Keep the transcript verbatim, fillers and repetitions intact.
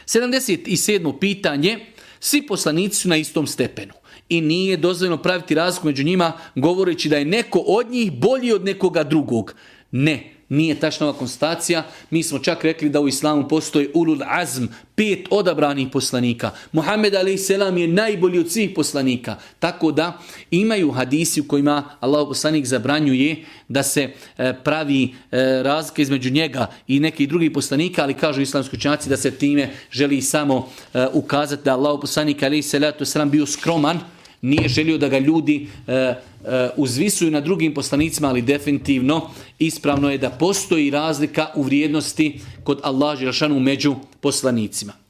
sedamdeset sedmo pitanje. Svi poslanici su na istom stepenu i nije dozvoljeno praviti razliku među njima govoreći da je neko od njih bolji od nekoga drugog. Ne, nije tačna ova konstatacija. Mi smo čak rekli da u islamu postoji ulul azm, pet odabranih poslanika. Muhammed alejhi selam je najbolji od svih poslanika. Tako da imaju hadisi u kojima Allahov poslanik zabranjuje da se e, pravi e, razlika između njega i nekih drugih poslanika, ali kažu islamski učenjaci da se time želi samo e, ukazati da Allahov poslanik alejhi selatu selam bio skroman, nije želio da ga ljudi e, e, uzvisuju na drugim poslanicima, ali definitivno ispravno je da postoji razlika u vrijednosti kod Allaha dželle šanu među poslanicima.